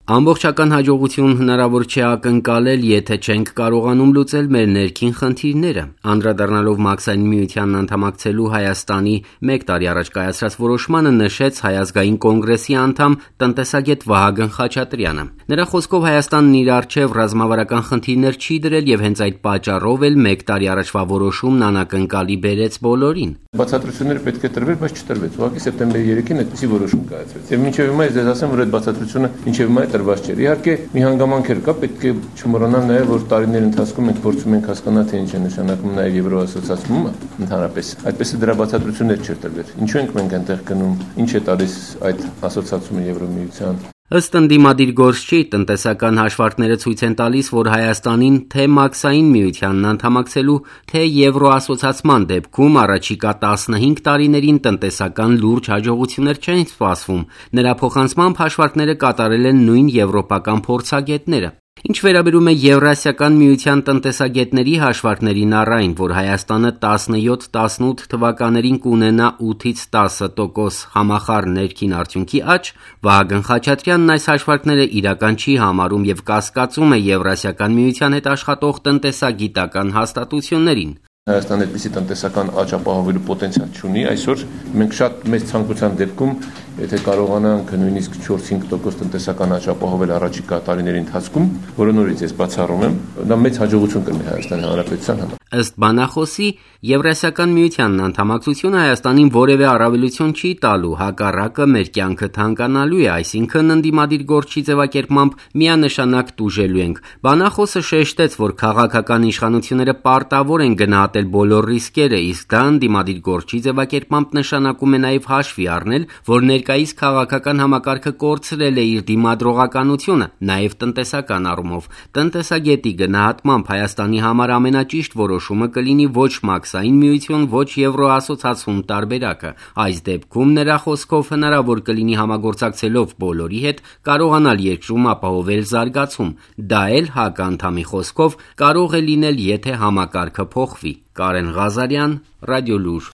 Ամբողջական հաջողություն հնարավոր չէ ակնկալել, եթե չենք կարողանում լուծել մեր ներքին խնդիրները։ Անդրադառնալով Մաքսային միությանն անդամակցելու Հայաստանի 1 տարի առաջ կայացրած որոշմանը նշեց Հայ ազգային կոնգրեսի անդամ տնտեսագետ Վահագն Խաչատրյանը։ Նրա խոսքով Հայաստանն իր առջև ռազմավարական խնդիրներ չի դրել եւ հենց այդ պատճառով էլ 1 տարի առաջվա որոշումն անակնկալի բերեց բոլորին։ Բացատրությունները պետք է տրվեր, բայց չտրվեց։ Ուղղակի սեպտեմբերի 3-ին այդպիսի որոշում կայացվեց։ Եվ մինչև հիմա ես ձեզ ասեմ, որ այդ բացատրությունը մինչև հիմա տրված չէր։ Իհարկե, մի հանգամանքեր կա, պետք է չմոռանալ նաև, որ տարիների ընթացքում մենք փորձում ենք հասկանալ, թե ինչ է նշանակում նաև Եվրոասոցիացումը ընդհանրապես։ Այդպես է դրա բացատրություններ չէր տրվել։ Ինչու ենք մենք այնտեղ գնում, ինչ է տալիս այդ ասոցիացումը Եվրոմիության։ Ըստ ընդդիմադիր գործչի, տնտեսական հաշվարկները ցույց են տալիս, որ Հայաստանին թե Մաքսային միությանն անդամակցելու, թե Եվրոասոցիացման դեպքում առաջիկա 15 տարիներին տնտեսական լուրջ հաջողություններ չեն սպասվում։ Նրա փոխանցմամբ հաշվարկները կատարել են նույն եվրոպական փորձագետները։ Ինչ վերաբերում է Եվրասիական միության տնտեսագետների հաշվարկներին առ այն, որ Հայաստանը 17-18 թվականներին կունենա 8-ից 10% համախառն ներքին արդյունքի աճ, Վահագն Խաչատրյանն այս հաշվարկները իրական չի համարում եւ կասկածում է Եվրասիական միության հետ աշխատող տնտեսագիտական հաստատություններին։ Հայաստանը այդպիսի տնտեսական աճ ապահովելու պոտենցիալ չունի։ Այսօր մենք շատ մեծ ցանկության դեպքում, եթե կարողանանք նույնիսկ 4-5% տնտեսական աճ ապահովել առաջիկա տարիների ընթացքում, որը նորից ես բացառում եմ, դա մեծ հաջողություն կլինի Հայաստանի Հանրապետության համար։ Ըստ բանախոսի, Եվրասիական միությանն անդամակցությունը Հայաստանին որևէ առավելություն չի տալու, հակառակը մեր կյանքը թանկանալու է, այսինքն ընդդիմադիր գործչի ձևակերպմամբ միանշանակ տուժելու ենք։ Բանախոսը շեշտեց, որ քաղաքական իշխանությունները պարտավոր են գնահատել բոլոր ռիսկերը, իսկ դա ընդդիմադիր գործչի ձևակերպմամբ նշանակում է նաև հաշվի առնել, որ ներկայիս քաղաքական համակարգը կորցրել է իր դիմադրողականությունը, նաև տնտեսական առումով։ Տնտեսագետի գնահատմամբ Հայաստանի համար ամենաճիշտ որոշումը կլինի ոչ Մաքսային միություն, ոչ Եվրոասոցիացում տարբերակը։ Այս դեպքում նրա խոսքով հնարավոր կլինի համագործակցելով բոլորի հետ կարողանալ երկրում ապահովել զարգացում։ Դա էլ հականդամի խոսքով կարող է լինել, եթե համակարգը փոխվի։ Կարեն Ղազարյան, Ռադիոլուր։